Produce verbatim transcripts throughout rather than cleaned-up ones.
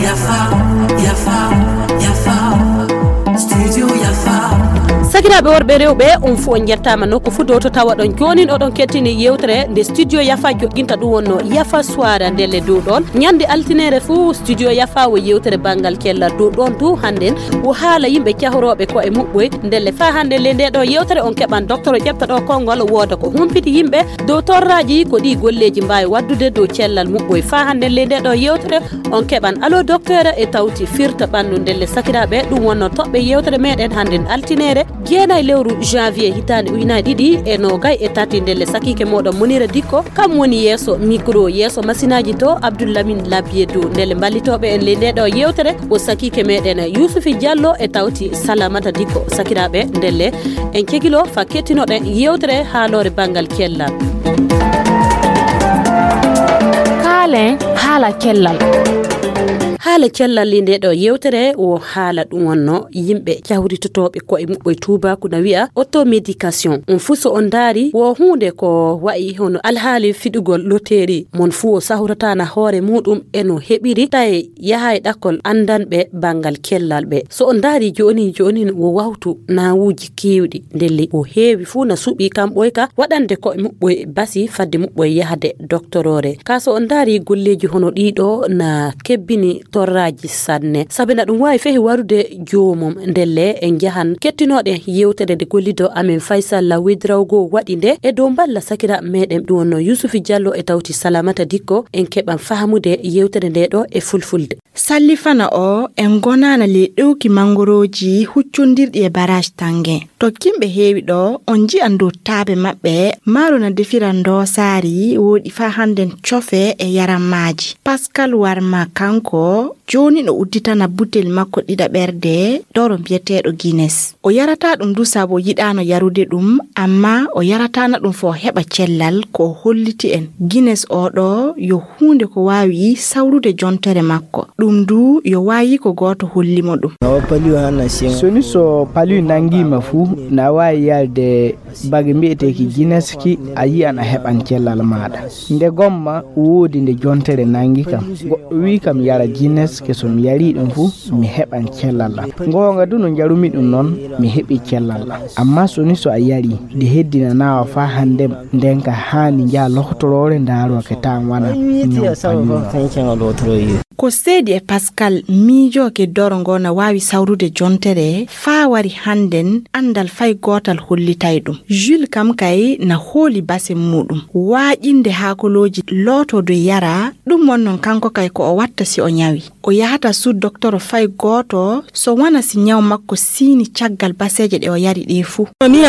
Yafa, yafa, yafa. Studio Yafa. Sakiraaɓe worɓe, rewɓe, on fuu on njettaama nokku fuu dow to tawaɗon. Joonin oɗon kettini yewtere nde Studio Yafa joƴƴinta, ɗum wonno Yafa Soirée ndelle dow ɗoon. Ñande altine fuu Studio Yafa wo yewtere banngal cellal dow ɗoon too. Hannden wo haala yimɓe cahorooɓe ko'e muɓɓoy. Ndelle faa hannden le nde ɗo yewtere on keɓan doktoro ƴefta ɗo konngol wooda ko humpiti yimɓe dow torraaji ko ɗi golleeji mbaawi waɗdude dow cellal muɓɓoy. Faa hannden le nde ɗo yewtere on keɓan Allo Docteur e tawti firta ɓanndu. Ndelle sakiraaɓe, ɗum wonno toɓɓe yewtere meɗen hannden altineere jeenayi lewru janvier hitaande ujunaaji ɗiɗi e noogay e tati. Ndelle sakiike mooɗon Munira Dikko, kam woni yeeso micro, yeeso masinaaji to Abdoulamin Labiedou. Ndelle mballitooɓe en le nde ɗo yewtere ko sakiike meɗen Yusufi Diallo e tawti Salamata Dikko. Sakiraaɓe, ndelle en cegilo fa kettinoɗen yewtere haaloore banngal cellal. Kaalen haala cellal. Haala cellal li nde ɗo yewtere wo haala ɗum wonno yimɓe cawritotooɓe ko'e muɓɓoy tuubaaku na wi'a automédication. On fuu so on ndaari wo huunde ko wa'i hono alhaali fiɗugol loteeri. Mon fuu o sahorataana hoore muuɗum e no heɓiri tawi yahaay ɗakkol anndanɓe banngal cellal ɓe. So on ndaari jooni jooni wo wawtu nawuuji keewɗi. Ndelle o heewi fuu na suɓi kam ɓoyka waɗande ko'e muɓɓoy basi fadde muɓɓoy yahde doktoroore. Ka so on ndaari golleeji hono ɗiɗo na kebbini torraaji sanne. Sabe na ɗum waawi fehi warude joomum. Ndelle en njahan kettinooɗen yewtere nde gollido amen Faysal Lawedrawgo waɗi nde e dow mballa sakira meɗen ɗum wonno Yusufi Diallo e tawti Salamata Dikko. En keɓan fahamude yewtere nde ɗo e fulfulde. Sallifana o en gonaana ley ɗowki manngorooji huccondirɗi e baraaj Tannge. Tokkimɓe heewi ɗo, on nji'an dow taabe maɓɓe, maaro na defira ndoosaari, woodi faa hannden cofe e yarammaaji. Pascal Warma kanko, jooni no udditana butel makko ɗiɗaɓerde, doro biyeteeɗo Guinness. O yarataa ɗum du sabu yiɗaano yarude ɗum, ammaa o yarataana ɗum fo o heɓa cellal ko o holliti en. Guinness oo ɗoo yo huunde ko waawi sawrude jontere makko. Ɗum du yo waayi ko gooto holli mo ɗum. Soni so palu nanngii ma fuu, na waawi yalde bagi mbi'eteeki Guinness ki, a yi'an a heɓan cellal maaɗa. Nde gomma woodi nde jontere nanngi kam. Goɗɗo wi'i kam yara Guinness ke so mi yarii ɗum fuu, mi heɓan cellal am. Ngoonga du no njarumi ɗum noon, mi heɓi cellal am. Ammaa soni so a yarii, nde heddinanaa wa faa hannden, nden ka haani njaha lohtoroore ndaaroo ke taan wana ñaw palu. Ko seedi e Pascal miijooke doro ngo na waawi sawrude jontere faa wari hannden anndal fay gootal hollitay ɗum. Jules kam kay na hooli base muuɗum. Waaƴinde haakolooji lootoo doy yara, ɗum won noon kanko kay ko o watta si o ñawi. O yahata suu doktoro fay gooto so wona si ñaw makko siini caggal baseeje ɗe o yari ɗee fuu. Soni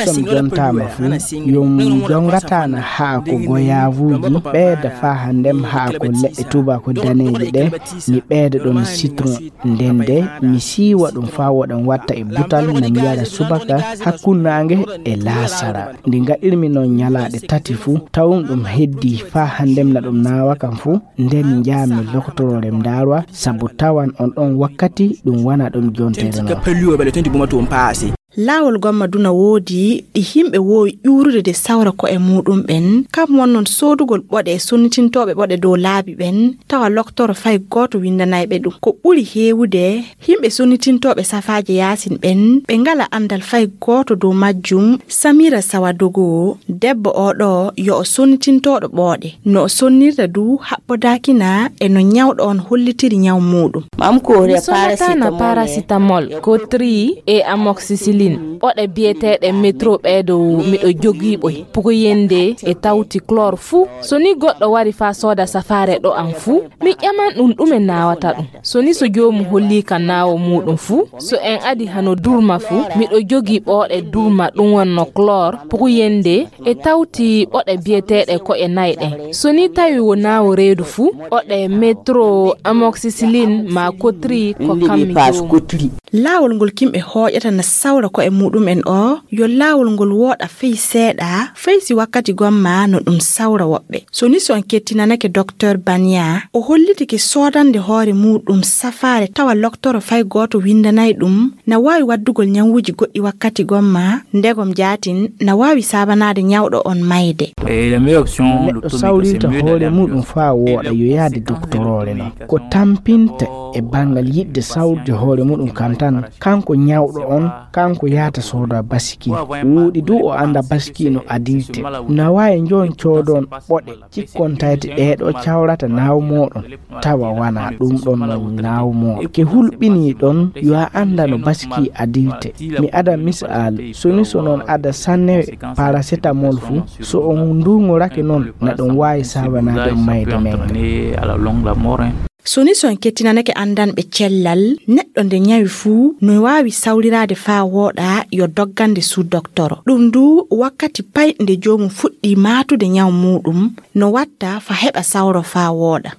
so mi jontaama fuu, yo mi jongataana haa ko goyaavuuji ɓeyda faa hannden haa ko leɗɗe tuuba ko daneeje ɗe, mi ɓeyda ɗoon citron. Nden de mi siiwa ɗum faa woɗan watta e butal na mi yara subaka hakkunnaange e laasara. Nde ngaɗirmi noon ñalaaɗe tati fuu, tawum ɗum heddii faa hannden na ɗum naawa kam fuu, nden njaami loktoroore mi ndaarwa, sabu tawan on ɗoon wakkati ɗum wona ɗum jontere noon. Laawol gomma du na woodi ɗi yimɓe woowi ƴuurude de sawra ko'e muuɗum ɓen, kam won noon soodugol ɓoɗe e sonnitintooɓe ɓoɗe dow laabi ɓen, tawa loktoro fay gooto winndanay ɓe ɗum. Ko ɓuri heewude, yimɓe sonnitintooɓe safaaje yaasin ɓen, ɓe ngala anndal fay gooto dow majjum. Samira Sawadogo, debbo oo ɗoo, yo o sonnitintooɗo ɓooɗe. No o sonnirta du haɓɓodaakina e no ñawɗo on hollitiri ñaw muuɗum. Mi sonnataana paracetamol, Cotri e amoxicilline. Ɓoɗe biyeteeɗe metro ɓee dow miɗo jogii ɓoy. Pukoyende e tawti chlore fuu. So ni goɗɗo wari faa sooda safaare ɗo am fuu, mi ƴaman ɗum ɗume naawata ɗum. So ni so joomum hollii ka naawo muuɗum fuu, so en adi hano durma fuu, miɗo jogii ɓooɗe durma ɗum wonno chlore, pukoyende e tawti ɓoɗe biyeteeɗe ko e nay ɗen. So ni tawi wo naawo reedu fuu, ɓoɗe metro amoxicilline ma Cotri ko kam mi jogii. Laawol ngol yimɓe hooƴata na sawra Ko e muɗum en o, yo laawol ngol wooɗa fey seeɗa, fey si wakkati gomma no ɗum sawra woɓɓe. So ni so on kettinanake Doktor Banya, o hollitike soodande hoore muɗum safaare tawa loktoro fay gooto windanay ɗum, na waawi waddugol ñawuuji goɗɗi wakkati gomma, ndegom jaatin na waawi saabanaade ñawɗo on mayde. Neɗɗo sawrinta hoore muɗum faa wooɗa yo yaade doktoroore non. Ko tampinta e banngal yiɗde sawrude hoore muɗum kan tan, kanko ñawɗo on, kanko yahata sooda basiki. Wooɗi du o annda basiki no adilte. Na waawi njon coodon ɓoɗe, cikkon tayti ɗee ɗo cawrata naaw mooɗon. Tawa wana ɗum ɗon non naaw mooɗon. Ke hulɓinii ɗon, yo a annda no basiki adilte. Mi ada misal, so ni so non ada sanne paracetamol fu, so on ndurŋorake non, na ɗum waawi saabanaade on mayde men. So ni so en kettinanake anndanɓe cellal, neɗɗo nde ñawi fuu no waawi sawriraade faa wooɗa yo doggande suu doktoro. Ɗum du wakkati pay nde joomum fuɗɗii maatude ñaw muuɗum, no watta fa heɓa sawro faa wooɗa.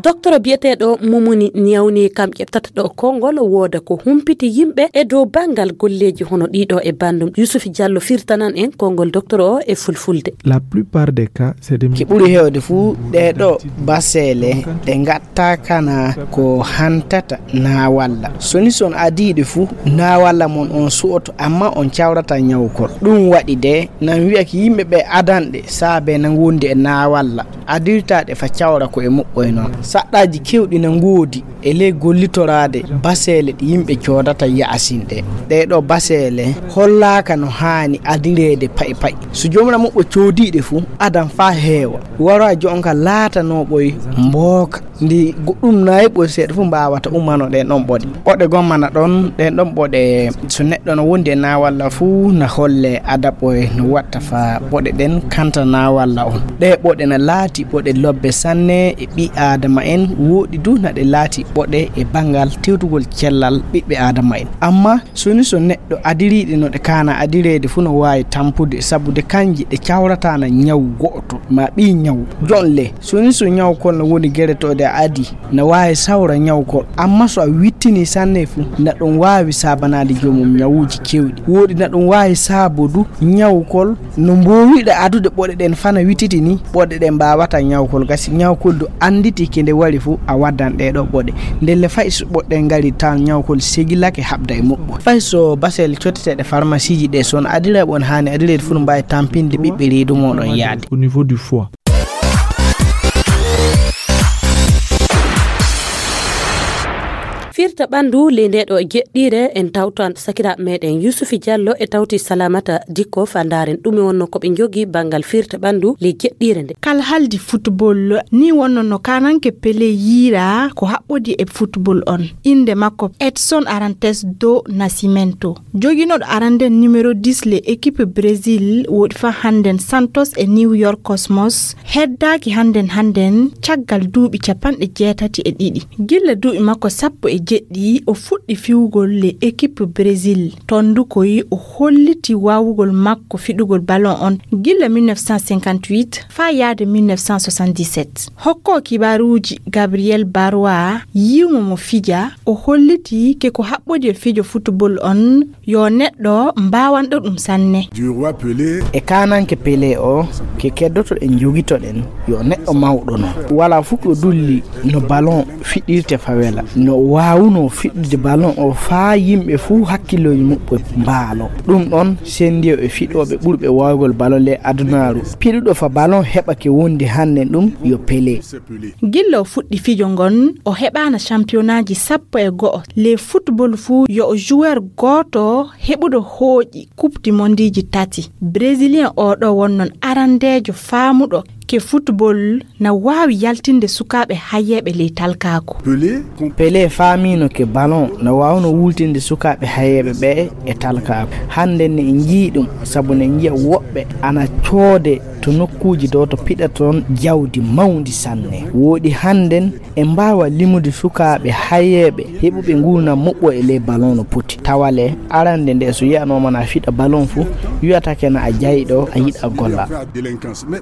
Doktoro biyeteeɗo Mumuni Niyawni kam ƴettata ɗo konngol wooda ko humpiti yimɓe e dow banngal golleeji hono ɗiɗo e banndum. Yusuf Diallo firtanan en konngol doktoro o e fulfulde. La plupart des cas, c'est des Ki ɓuri heewde fuu ɗee ɗo baseele ɗe ngatta kana ko hantata naawalla. So ni son adiiɗe fuu, naawalla mon on su'oto, amma on cawrata ñawkol. Ɗum waɗi de, nan wi'a ki yimɓe ɓe adanɗe saabe na ngondi e naawalla. Adirtaɗe fa cawra ko e muɓɓoy non. Saɗɗaaji kewɗi na ngoodi e ley gollitoraade baseele ɗe yimɓe coodata ya'asin ɗe. Ɗee ɗo baseele hollaaka no haani adireede pa'i pa'i. So jomra muɓɓo coodiiɗe fuu, adan faa heewa. Wara jonka laatanooɓoy mbooka. Ndi go-, ɗum nayi ɓoy seeɗa fuu mbaawata ummano ɗen ɗon ɓoɗe. Ɓoɗe gommana ɗon, ɗen ɗon ɓoɗe so neɗɗo no wondi e naawalla fuu na holle adaɓɓoy no watta fa ɓoɗe ɗen kanta naawalla on. Ɗee ɓoɗe na laati ɓoɗe lobbe sanne e ɓii aadama en, wooɗi du na ɗe laati ɓoɗe e banngal tewtugol cellal ɓiɓɓe aadama en. Amma so ni so neɗɗo adiriiɗe no ɗe kaana adireede fuu no waawi tampude, sabu de kanje ɗe cawrataana ñaw go'oto ma ɓii ñaw. Jonle, so ni so ñawkol no woni geretoode a adi, na waawi sawra ñawkol. Amma so a wittini sanne fuu, na ɗum waawi saabanaade joomum ñawuuji kewɗi. Wooɗi na ɗum waawi saabudu ñawkol no mboowiɗa adude ɓoɗe ɗen fana wittiti ni, ɓoɗe ɗen mbaawata ñawkol gasi. Ñawkol du annditi ke nde wari fuu a waddan ɗee ɗo ɓoɗe. Ndelle fay so ɓoɗe ɗen ngari tan ñawkol segilake haɓda e muɓɓo. Fay so basel coteteeɗe farmasiiji ɗe son adira ɓon haani adireede fuu no mbaawi tampinde ɓiɓɓe reedu mooɗon yaade. Au niveau du foie. Firta ɓanndu ley nde ɗo jeɗɗiire en tawtan sakiraaɓe meɗen Yusufi Diallo e tawti Salamata Dikko fa ndaaren ɗume wonno ko ɓe njogi banngal firta ɓanndu ley jeɗɗiire nde. Kal haldi football ni wonno no kananke Pele yiira ko haɓɓodi e football on. Innde makko Edson Arantes do Nascimento. Joginoɗo arande numéro dix le équipe Brésil woɗi fa hannden Santos e New York Cosmos heddaaki hannden hannden caggal duuɓi capanɗe jeetati e ɗiɗi. Gilla duuɓi makko sappo e jeɗɗi o fuɗɗi fiwugol le équipe Brésil. Ton du koy o holliti waawugol makko fiɗugol ballon on gilla mille neuf cent cinquante-huit faa yaade mille neuf cent soixante-dix-sept. Hokko kibaaruuji Gabriel Barwa yiwmo mo fija o holliti ke ko haɓɓodi e fijo football on yo neɗɗo mbaawanɗo ɗum sanne. E kananke Pele o, ke keddoto ɗen jogito ɗen, yo neɗɗo mawɗo non. Wala fof ko dulli no ballon fiɗɗirte fawela. No waawuno fiɗɗude ballon o faa yimɓe fuu hakkillooji muɓɓe mbaalo. Ɗum ɗon sendiyo e fiɗooɓe ɓurɓe waawgol ballon le adunaaru. Piɗuɗo fa ballon heɓa ke wondi hannde ɗum yo Pele. Gilla o fuɗɗi fijo ngon, o heɓaana campionaaji sappo e go'o. Le football fuu yo o joueur gooto heɓuɗo hooƴi coupe du mondeji tati. Brésilien o ɗo wonnon arandeejo faamuɗo ke football na waawi yaltinde sukaaɓe hayyeeɓe ley talkaaku. Pele faamino ke ballon na waawno wultinde sukaaɓe hayyeeɓe ɓe e talkaaku. Hannde ne en njii ɗum, sabu ne njiya woɓɓe ana coode To nokkuuji ɗo to piɗata toon jawdi mawndi sanne. Wooɗi hannden en mbaawa limude sukaaɓe hayeeɓe heɓuɓe nguurndam moƴƴo e ley ballon no poti. Tawa le arande nde so yiyanooma na fiɗa ballon fuu, wiyata ke na a jayɗo, a yiɗa golla.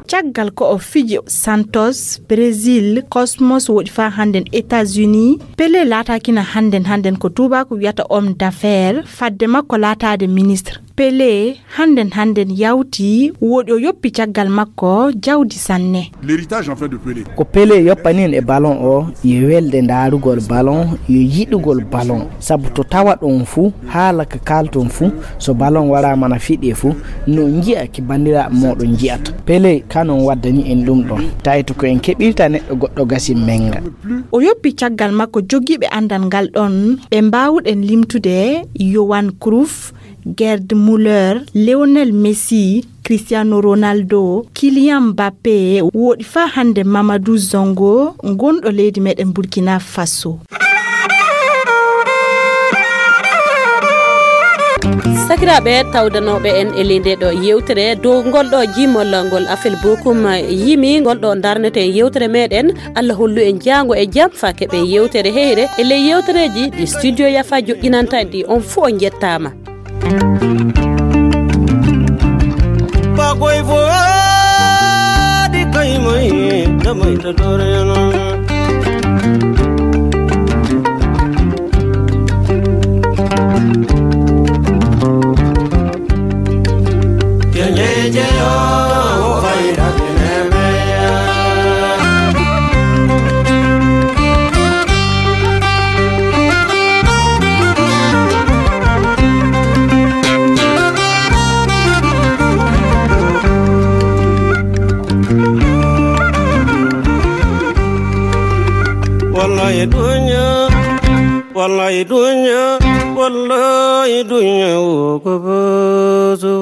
Caggal ko o fiji Santos, Brésil, Cosmos woɗi faa hannden États-Unis, Pelé laataaki na hannden hannden ko tuubaaku wiyata homme d'affaires, fadde makko laataade ministre. Pelé hannden hannden yawti, wooɗi o yoppi caggal makko jawdi sanne. L'héritage en fait de Pelé. Ko Pelé yoppani en e ballon o, yo welde ndaarugol ballon, yo yiɗugol ballon. Sabu to tawa ɗon fuu, haala ka kaalton fuu, so ballon waraama na fiɗe fuu, no njiya ki banndiraaɓe mooɗon njiyata. Pelé kanon waddani en ɗum ɗon. Tawi to ko en keɓirta neɗɗo goɗɗo gasi menga. O yoppi caggal makko jogiiɓe anndal ngal ɗon, ɓe mbaawuɗen limtude Yohan Cruyff, Gerd Müller, Lionel Messi, Cristiano Ronaldo, Kylian Mbappé, wooɗi faa hannde Mamadou Zongo, gonɗo leydi meɗen Burkina Faso. Sakiraaɓe tawdanooɓe en e ley nde ɗo yewtere dow ngol ɗo jimol ngol afel bokum yimi ngol ɗo darneten yewtere meɗen. Allah hollu en jaango e jam faa keɓen yewtere heyre e ley yewtereeji ɗi studio yafa joƴƴinanta en ɗi. On fuu on njettaama. Bagoy fo di kay moy damay ta dore non. Kenye je yo fayda. Wallahi dunya, wallahi dunya, wallahi dunya wo ko bozo.